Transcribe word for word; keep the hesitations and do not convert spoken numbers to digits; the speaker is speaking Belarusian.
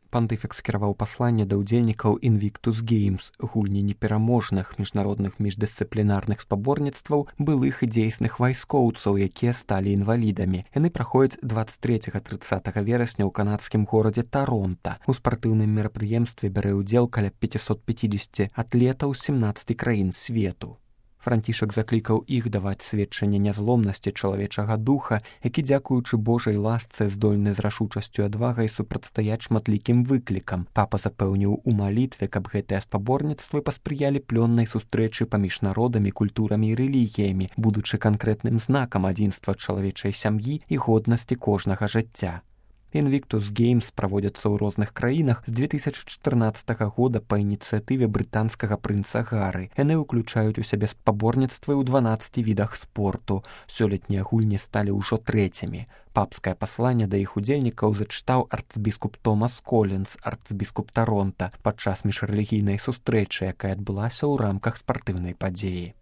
Пантыфік скіраваў пасланне да ўдзельнікаў Invictus Games, гульні непераможных міжнародных міждысцыплінарных спаборніцтваў былых і дзейсных вайскоўцаў, якія сталі інвалідамі. Яны праходзяць дваццаць трэцяга - трыццатага верасня ў канадскім горадзе Таронта. У спартыўным мерапрыемстве бярэ ўдзел каля пяцьсот пяцьдзесят атлетаў з сямнаццаці краін свету. Францішак заклікаў іх даваць сведчанне нязломнасці чалавечага духа, які, дзякуючы Божай ласцы, здольны з рашучасцю і адвагай супрацьстаяць шматлікім выклікам. Папа запэўніў у малітве, каб гэтыя спаборніцтвы паспрыялі плённай сустрэчы паміж народамі, культурамі і рэлігіямі, будучы канкрэтным знакам адзінства чалавечай сям'і і годнасці кожнага жыцця. Invictus Games праводзяцца ў розных краінах з дзве тысячы чатырнаццатага года па ініцыятыве брытанскага прынца Гары. Яны ўключаюць у сябе спаборніцтвы ў дванаццаці відах спорту. Сёлетнія гульні сталі ўжо трэцімі. Папскае пасланне да іх удзельнікаў зачытаў арцбіскуп Томас Колінс, арцбіскуп Таронта, падчас міжрэлігійнай сустрэчы, якая адбылася ў рамках спартыўнай падзеі.